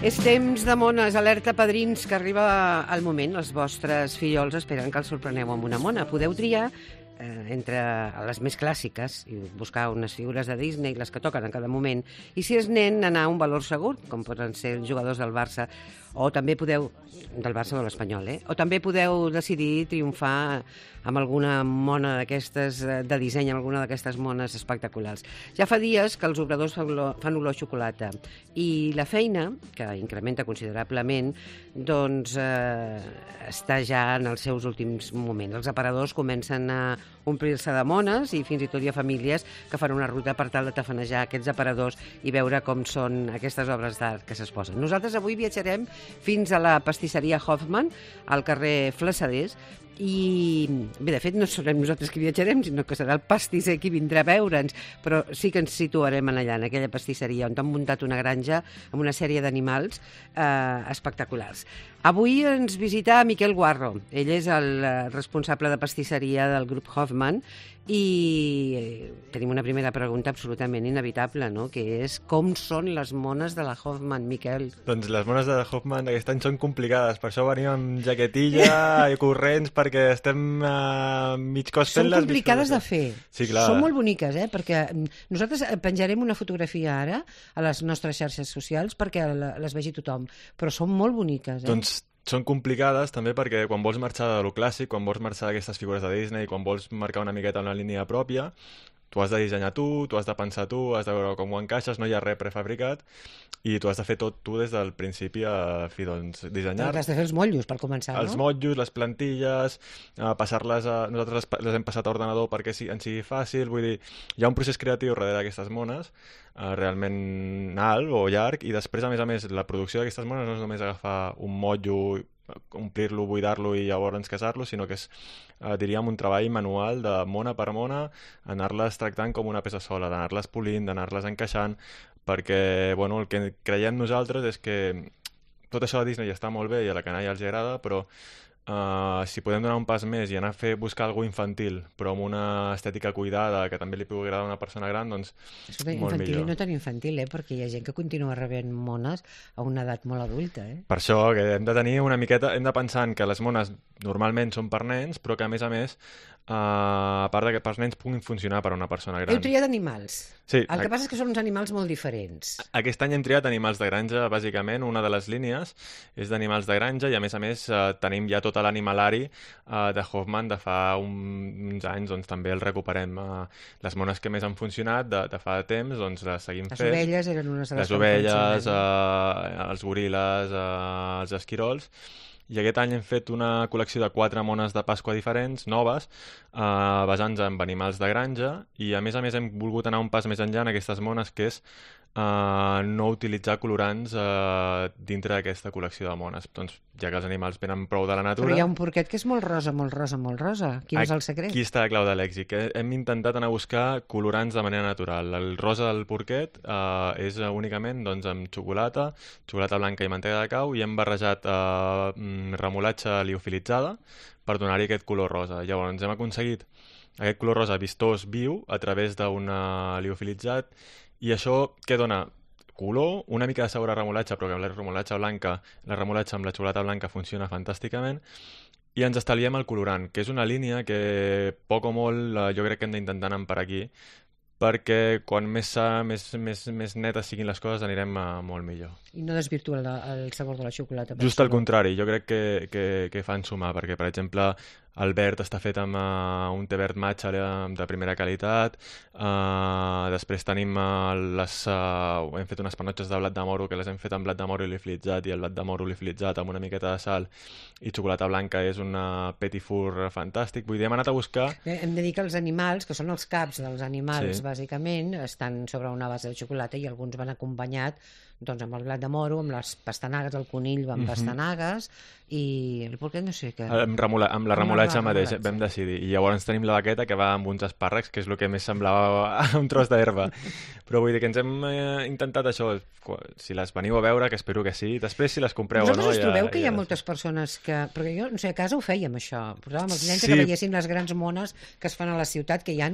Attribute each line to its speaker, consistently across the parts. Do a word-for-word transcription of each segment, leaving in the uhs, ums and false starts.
Speaker 1: És temps de mones, alerta padrins, que arriba el moment. Els vostres fillols esperen que els sorpreneu amb una mona. Podeu triar eh, entre les més clàssiques i buscar unes figures de Disney, les que toquen en cada moment, i si és nen, anar a un valor segur, com poden ser els jugadors del Barça, o també podeu, del Barça o de l'Espanyol, eh? O també podeu decidir triomfar amb alguna mona d'aquestes de disseny, amb alguna d'aquestes mones espectaculars. Ja fa dies que els obradors fan olor, fan olor a xocolata i la feina, que incrementa considerablement, doncs eh, està ja en els seus últims moments. Els aparadors comencen a omplir-se de mones i fins i tot hi ha famílies que fan una ruta per tal de tafanejar aquests aparadors i veure com són aquestes obres d'art que s'exposen. Nosaltres avui viatjarem fins a la pastisseria Hoffman, al carrer Flassaders, i bé, de fet no serem nosaltres qui viatjarem, sinó que serà el pastisser qui vindrà a veure'ns, però sí que ens situarem allà, en aquella pastisseria on han muntat una granja amb una sèrie d'animals eh, espectaculars. Avui ens visita Miquel Guarro. Ell és el responsable de pastisseria del grup Hoffman i tenim una primera pregunta absolutament inevitable, no? Que és com són les mones de la Hoffman, Miquel?
Speaker 2: Doncs les mones de la Hoffman aquest any són complicades, per això venim amb jaquetilla i corrents perquè estem uh, mig cos fent-les.
Speaker 1: Són complicades de fer.
Speaker 2: Sí, clar.
Speaker 1: Són molt boniques, eh? Perquè nosaltres penjarem una fotografia ara a les nostres xarxes socials perquè les vegi tothom, però són molt boniques, eh?
Speaker 2: Doncs són complicades també perquè quan vols marxar de lo clàssic, quan vols marxar d'aquestes figures de Disney, quan vols marcar una miqueta una línia pròpia, tu has de dissenyar tu, tu has de pensar tu, has de veure com ho encaixes, no hi ha res prefabricat i tu has de fer tot tu des del principi a fi, doncs, dissenyar.
Speaker 1: Has de fer els motllos, per començar,
Speaker 2: els
Speaker 1: no?
Speaker 2: Els motllos, les plantilles, eh, passar-les a... Nosaltres les, les hem passat a ordenador perquè sí, en sigui fàcil, vull dir, hi ha un procés creatiu darrere d'aquestes mones, eh, realment alt o llarg, i després, a més a més, la producció d'aquestes mones no és només agafar un motllo, omplir-lo, buidar-lo i llavors casar-lo, sinó que és, eh, diríem, un treball manual de mona per mona, anar-les tractant com una peça sola, d'anar-les polint, d'anar-les encaixant, perquè, bueno, el que creiem nosaltres és que tot això de Disney està molt bé i a la canalla els agrada, però uh, si podem donar un pas més i anar a fer, buscar alguna infantil, però amb una estètica cuidada que també li pugui agradar a una persona gran, doncs
Speaker 1: Escolta,
Speaker 2: molt
Speaker 1: infantil
Speaker 2: millor.
Speaker 1: I no tan infantil, eh? Perquè hi ha gent que continua rebent mones a una edat molt adulta, eh?
Speaker 2: Per això que hem de tenir una miqueta, hem de pensar que les mones normalment són per nens, però que a més a més, uh, a part de que pels nens puguin funcionar per a una persona gran.
Speaker 1: Heu triat animals.
Speaker 2: Sí.
Speaker 1: El que passa és que són uns animals molt diferents.
Speaker 2: Aquest any hem triat animals de granja, bàsicament. Una de les línies és d'animals de granja i, a més a més, eh, tenim ja tot l'animalari eh, de Hoffman de fa un, uns anys, doncs també el recuperem. Eh, les mones que més han funcionat de, de fa temps, doncs les seguim
Speaker 1: les
Speaker 2: fent.
Speaker 1: Les ovelles eren unes de les
Speaker 2: Les ovelles, eh, els goril·les, eh, els esquirols. I aquest any hem fet una col·lecció de quatre mones de Pasqua diferents, noves, eh, basant-nos en animals de granja, i a més a més hem volgut anar un pas més enllà en aquestes mones, que és eh, no utilitzar colorants eh, dintre d'aquesta col·lecció de mones. Doncs, ja que els animals venen prou de la natura...
Speaker 1: Però hi ha un porquet que és molt rosa, molt rosa, molt rosa. Quin és el secret?
Speaker 2: Aquí està la clau de l'èxit. Hem intentat anar a buscar colorants de manera natural. El rosa del porquet eh, és únicament doncs, amb xocolata, xocolata blanca i mantega de cau, i hem barrejat eh, remolatxa liofilitzada per donar-hi aquest color rosa. Llavors hem aconseguit aquest color rosa vistós, viu, a través d'un liofilitzat, i això què dona? Color, una mica de sabor a remolatxa, però que la remolatxa blanca, la remolatxa amb la xocolata blanca funciona fantàsticament, i ens estalviem el colorant, que és una línia que poc o molt jo crec que hem d'intentar anar per aquí, perquè quan més, més, més, més netes siguin les coses anirem a molt millor.
Speaker 1: I no desvirtua el, el sabor de la xocolata.
Speaker 2: Just al contrari, jo crec que, que, que fan sumar, perquè, per exemple, el verd està fet amb uh, un té verd matxa de primera qualitat, uh, després tenim uh, les... Uh, hem fet unes panotxes de blat de moro, que les hem fet amb blat de moro liofilitzat, i el blat de moro liofilitzat amb una miqueta de sal i xocolata blanca és un petit four fantàstic. Vull dir, hem anat a buscar...
Speaker 1: Bé, hem de dir que els animals, que són els caps dels animals,
Speaker 2: sí,
Speaker 1: bàsicament, estan sobre una base de xocolata i alguns van acompanyat doncs, amb el blat de moro, amb les pastanagues, el conill va amb mm-hmm. pastanagues, i el porquet no sé què...
Speaker 2: Amb, remula, amb la remolatxa mateix vam decidir. I llavors tenim la baqueta que va amb uns espàrrecs, que és el que més semblava un tros d'herba. Però vull dir que ens hem eh, intentat això, si les veniu a veure, que espero que sí, després si les compreu
Speaker 1: Vosaltres
Speaker 2: o no...
Speaker 1: us trobeu
Speaker 2: ja,
Speaker 1: que hi ha
Speaker 2: ja...
Speaker 1: moltes persones que... Perquè jo, no sé, a casa ho fèiem, això. Portàvem els nens
Speaker 2: sí.
Speaker 1: que veiessin les grans mones que es fan a la ciutat, que hi ha...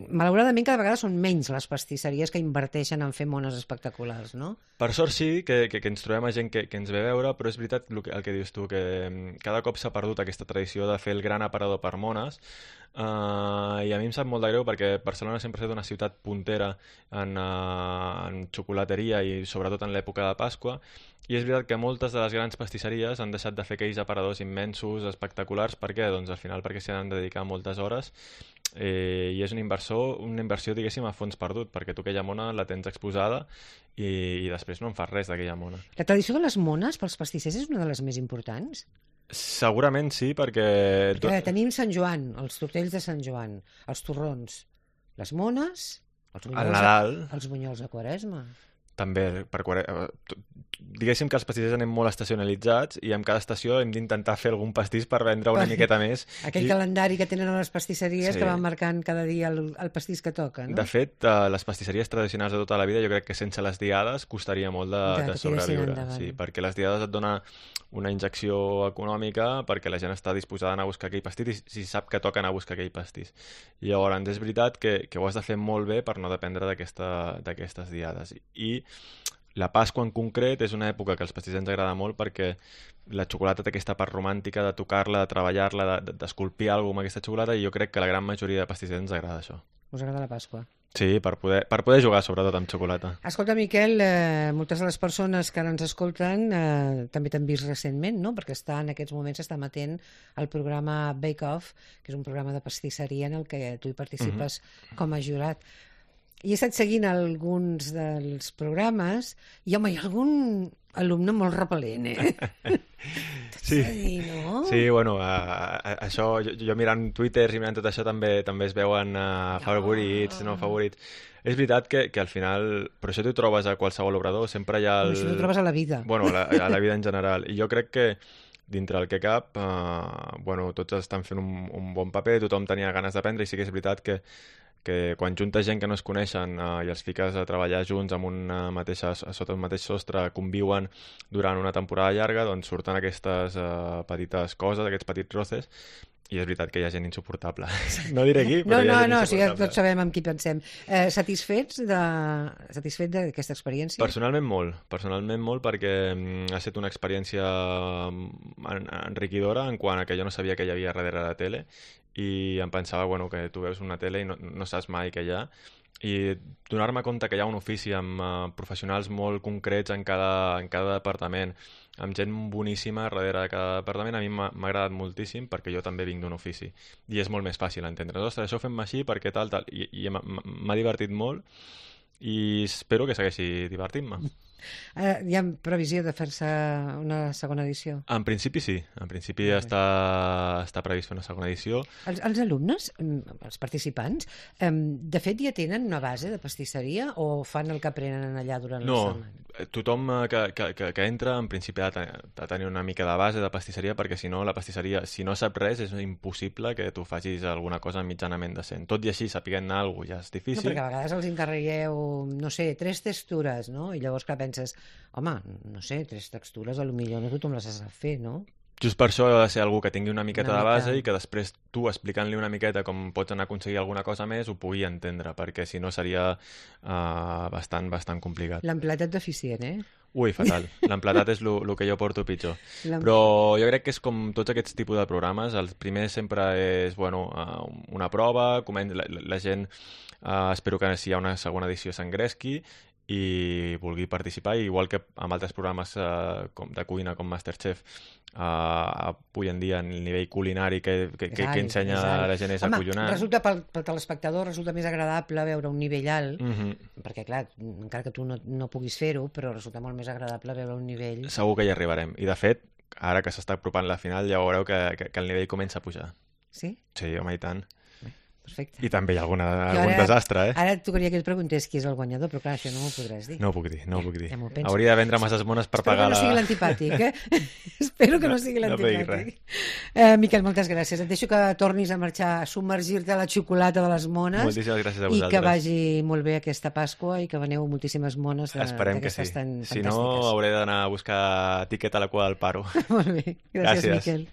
Speaker 1: Malauradament, cada vegada són menys les pastisseries que inverteixen en fer mones espectaculars, no? no?
Speaker 2: Per sort sí, que, que, que ens trobem a gent que, que ens ve a veure, però és veritat el que, el que dius tu, que cada cop s'ha perdut aquesta tradició de fer el gran aparador per mones, uh, i a mi em sap molt de greu perquè Barcelona sempre ha estat una ciutat puntera en, uh, en xocolateria i sobretot en l'època de Pasqua, i és veritat que moltes de les grans pastisseries han deixat de fer aquells aparadors immensos, espectaculars. Per què? Doncs al final perquè s'hi han de dedicar moltes hores, eh, i és un inversor, una inversió, diguéssim, a fons perdut, perquè tu aquella mona la tens exposada i, i després no en fas res d'aquella mona.
Speaker 1: La tradició de les mones pels pastissers és una de les més importants?
Speaker 2: Segurament sí, perquè...
Speaker 1: Perquè tenim Sant Joan, els tortells de Sant Joan, els torrons, les mones, els bunyols,
Speaker 2: el Nadal,
Speaker 1: de, els bunyols de Quaresma.
Speaker 2: També, per quare... diguéssim que els pastissers anem molt estacionalitzats i en cada estació hem d'intentar fer algun pastís per vendre una miqueta més.
Speaker 1: Aquell I... calendari que tenen a les pastisseries, sí, que van marcant cada dia el, el pastís que toca, no?
Speaker 2: De fet, uh, les pastisseries tradicionals de tota la vida, jo crec que sense les diades costaria molt de, de, de sobreviure. Sí, perquè les diades et dona una injecció econòmica perquè la gent està disposada a anar a buscar aquell pastís i si sap que toca anar a buscar aquell pastís. I llavors és veritat que, que ho has de fer molt bé per no dependre d'aquestes diades. I la Pasqua en concret és una època que als pastissers ens agrada molt perquè la xocolata té aquesta part romàntica de tocar-la, de treballar-la, d'esculpir alguna cosa amb aquesta xocolata, i jo crec que la gran majoria de pastissers ens agrada això.
Speaker 1: Us agrada la Pasqua?
Speaker 2: Sí, per poder, per poder jugar sobretot amb xocolata.
Speaker 1: Escolta, Miquel, eh, moltes de les persones que ara ens escolten eh, també t'han vist recentment, no? Perquè està, en aquests moments està emetent el programa Bake Off, que és un programa de pastisseria en el que tu hi participes mm-hmm. com a jurat. I he estat seguint alguns dels programes i, home, hi ha algun alumne molt repel·lent, eh?
Speaker 2: Sí,
Speaker 1: dir, no?
Speaker 2: Sí, bueno, uh, això, jo, jo mirant Twitter i mirant tot això també també es veuen uh, favorits, no, no favorits. És veritat que, que al final, però això t'ho trobes a qualsevol obrador, sempre hi ha... El...
Speaker 1: Això t'ho trobes a la vida.
Speaker 2: Bueno, a la, a la vida en general. I jo crec que dintre el que cap, uh, bueno, tots estan fent un, un bon paper, tothom tenia ganes d'aprendre, i sí que és veritat que que quan juntes gent que no es coneixen eh, i els fiques a treballar junts amb una mateixa, sota un mateix sostre, conviuen durant una temporada llarga, doncs surten aquestes eh, petites coses, aquests petits roces, i és veritat que hi ha gent insuportable. No diré qui, però
Speaker 1: no,
Speaker 2: hi ha
Speaker 1: no,
Speaker 2: gent
Speaker 1: no,
Speaker 2: insuportable.
Speaker 1: Sí, tots sabem amb qui pensem. Eh, satisfets de satisfet d'aquesta experiència?
Speaker 2: Personalment molt, personalment molt, perquè mm, ha estat una experiència en, enriquidora en quant a que jo no sabia que hi havia darrere la tele, i em pensava, bueno, que tu veus una tele i no, no saps mai què hi ha, i donar-me compte que hi ha un ofici amb uh, professionals molt concrets en cada, en cada departament, amb gent boníssima darrere de cada departament, a mi m'ha agradat moltíssim perquè jo també vinc d'un ofici i és molt més fàcil entendre. Ostres, això ho fem així perquè tal, tal, i, i m'ha divertit molt i espero que segueixi divertint-me.
Speaker 1: Uh, hi ha previsió de fer-se una segona edició?
Speaker 2: En principi sí, en principi okay. està, està previst fer una segona edició.
Speaker 1: Els, els alumnes, els participants, um, de fet ja tenen una base de pastisseria o fan el que aprenen allà durant
Speaker 2: no,
Speaker 1: la setmana?
Speaker 2: No, tothom que, que, que, que entra en principi ha de, de tenir una mica de base de pastisseria, perquè si no la pastisseria, si no sap res, és impossible que tu facis alguna cosa mitjanament decent. Tot i així, sapiguent anar alguna cosa ja és difícil.
Speaker 1: No, perquè a vegades els encarregueu, no sé, tres textures, no? I llavors que penses, home, no sé, tres textures, potser no tothom les has de fer, no?
Speaker 2: Just per això ha de ser algú que tingui una miqueta
Speaker 1: una
Speaker 2: de base
Speaker 1: mica.
Speaker 2: I que després tu, explicant-li una miqueta com pots anar a aconseguir alguna cosa més, ho pugui entendre, perquè si no seria uh, bastant, bastant complicat.
Speaker 1: L'empletat deficient, eh?
Speaker 2: Ui, fatal. L'empletat és el que jo porto pitjor. Però jo crec que és com tots aquests tipus de programes. El primer sempre és, bueno, uh, una prova, la, la, la gent, uh, espero que si hi ha una segona edició s'engresqui i vulgui participar, i igual que amb altres programes eh, com de cuina com MasterChef, eh, avui en dia el nivell culinari que, que, que, que ensenya a la gent és
Speaker 1: Home,
Speaker 2: acollonant.
Speaker 1: Resulta pel, pel telespectador resulta més agradable veure un nivell alt,
Speaker 2: mm-hmm.
Speaker 1: perquè clar, encara que tu no, no puguis fer-ho, però resulta molt més agradable veure un nivell...
Speaker 2: Segur que hi arribarem, i de fet ara que s'està apropant la final ja veureu que, que, que el nivell comença a pujar.
Speaker 1: Sí?
Speaker 2: Sí, home, i tant.
Speaker 1: Perfecte.
Speaker 2: I també hi ha alguna,
Speaker 1: ara,
Speaker 2: algun desastre, eh?
Speaker 1: Ara et tocaria que et preguntés qui és el guanyador, però clar, això no m'ho podràs dir.
Speaker 2: No ho puc dir, no ho puc dir.
Speaker 1: Ja
Speaker 2: Hauria de vendre masses mones per
Speaker 1: Espero
Speaker 2: pagar la...
Speaker 1: Espero que no sigui l'antipàtic, eh? Espero que no, no sigui l'antipàtic. No eh, Miquel, moltes gràcies. Et deixo que tornis a marxar, a submergir-te a la xocolata de les mones.
Speaker 2: Moltíssimes gràcies a vosaltres.
Speaker 1: I que vagi molt bé aquesta Pasqua i que veneu moltíssimes mones d'aquestes
Speaker 2: sí.
Speaker 1: tan
Speaker 2: si
Speaker 1: fantàstiques.
Speaker 2: No, hauré d'anar a buscar tiquet a la cua del paro.
Speaker 1: Molt bé. Gràcies, gràcies. Miquel.